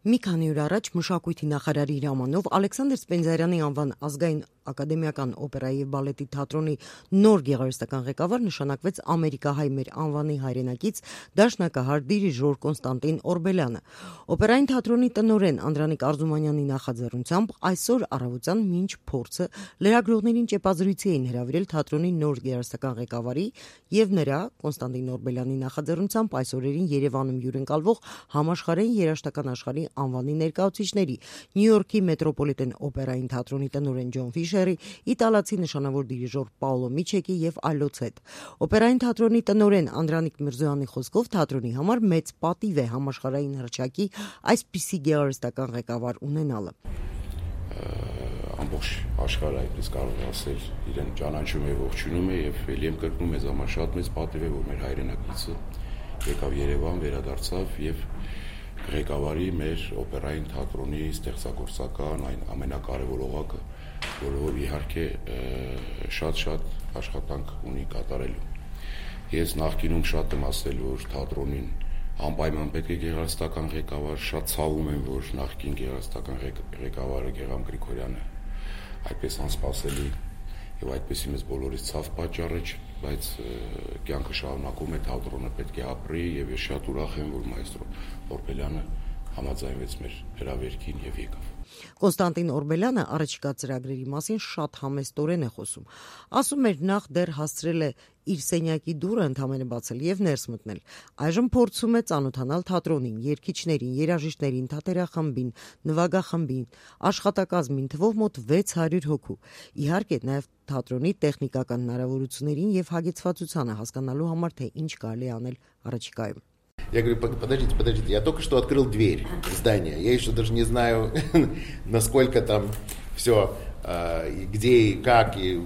Մի քանի օր առաջ մշակույթի նախարարի հրամանով Ալեքսանդր Սպենդիարյանի անվան ազգային ակադեմիական օպերայի և բալետի թատրոնի նոր գեղարվեստական ղեկավար նշանակվեց ամերիկահայ մեր անվանի հայրենակից դաշնակահար դիրիժոր Կոնստանտին Օրբելյանը։ Օպերային թատրոնի տնօրեն Անդրանիկ Արզումանյանի նախաձեռնությամբ այսօր առավոտյան մինչ փորձը լրագրողներին ճեպազրույցի էին հրավիրել թատրոնի նոր գեղարվեստական ղեկավարի և նրա Կոնստանտին Օրբելյանի նախաձեռնությամբ այս օրերին Երևանում հյուրընկալվող համաշխարհային երաժշտական աշխարհի անվանի ներկայացուցիչների Նյու Յորքի մետրոպոլիտեն օպերային թատրոնի տնօրեն Ջոն Ֆիշերի, իտալացի նշանավոր դիրիժոր Պաոլո Միչեկի և այլոց հետ։ Օպերային թատրոնի տնօրեն Անդրանիկ Միրզոյանի խոսքով թատրոնի համար մեծ պատիվ է համաշխարհային հռչակի այսպիսի գեղարվեստական ղեկավար ունենալը։ Ամբողջ աշխարհը այդպես կարող է ասել իրեն ճանաչում է, ողջունում է եւ ելի եմ կրկնում մեզ համար շատ մեծ պատիվ է, որ մեր հայրենակիցը եկավ Երևան, վերադարձավ եւ ղեկավարի մեր օպերային թատրոնի ստեղծագործական այն ամենակարևոր օղակը, որը իհարկե շատ աշխատանք ունի կատարելու։ Ես նախկինում շատ եմ ասել, որ թատրոնին անպայման պետք է գեղարվեստական ղեկավար, շատ ցավում եմ, որ նախկին գեղարվեստական ղեկավարը Գեգամ Գրիգորյանը այդպես անսպասելի եւ այդպեսի մեզ բոլորից ցավ պատճառը, բայց կյանքը շարունակում է, թատրոնը պետք է ապրի եւ ես շատ ուրախ եմ, որ մայստրո Օրբելյանը համաձայնվեց մեր հրավերքին եւ եկավ։ Կոնստանտին Օրբելյանը առաջիկա ծրագրերի մասին շատ համեստորեն է խոսում։ Ասում էր նախ դեռ հասցրել է իր սենյակի դուռը ընդամենը բացել եւ ներս մտնել։ Այժմ փորձում է ծանոթանալ թատրոնին, երգիչներին, երաժիշտներին, թատերախմբին, նվագախմբին, աշխատակազմին, թվով մոտ 600 հոգու։ Իհարկե նաեւ թատրոնի տեխնիկական հնարավորություններին եւ հագեցվածությանը հասկանալու համար թե ինչ կարելի անել առաջիկայում։ Я говорю, подождите, я только что открыл дверь в здание, я еще даже не знаю, насколько там все, где и как и...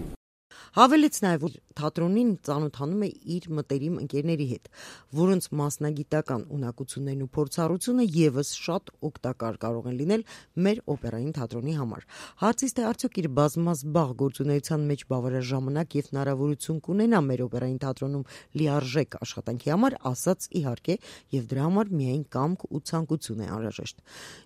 Հավելեց նաև, որ թատրոնին ծանոթանում է իր մտերիմ ընկերների հետ, որոնց մասնագիտական ունակություններն ու փորձառությունը եւս շատ օգտակար կարող են լինել մեր օպերային թատրոնի համար։ Հարցից թե արդյոք իր բազմազբաղ գործունեության մեջ բավարար ժամանակ եւ հնարավորություն կունենա մեր օպերային թատրոնում լիարժեք աշխատանքի համար, ասաց իհարկե, եւ դրա համար միայն կամք ու ցանկություն է անհրաժեշտ։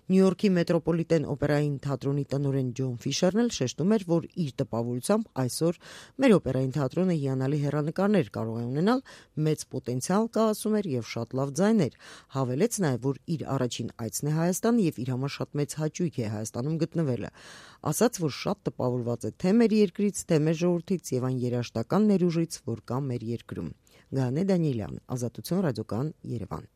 Նյու Յորքի մետրոպոլիտեն օպերային թատրոնի տնօրեն Ջոն Ֆիշերն էլ շեշտում էր, որ իր տպավորությամբ այսօր մեր օպերային թատրոնը հիանալի հեռանկարներ կարող է ունենալ, մեծ պոտենցիալ կա, ասում էր, եւ շատ լավ ձայներ։ Հավելեց նաև, որ իր առաջին այցն է Հայաստան եւ իր համար շատ մեծ հաճույք է Հայաստանում գտնվելը։ Ասաց, որ շատ տպավորված է թե մեր երկրից, թե մեր ժողովրդից եւ այն երաժշտական ներուժից, որ կա մեր երկրում։ Գանե Դանիելյան, Ազատություն ռադիոկան, Երևան։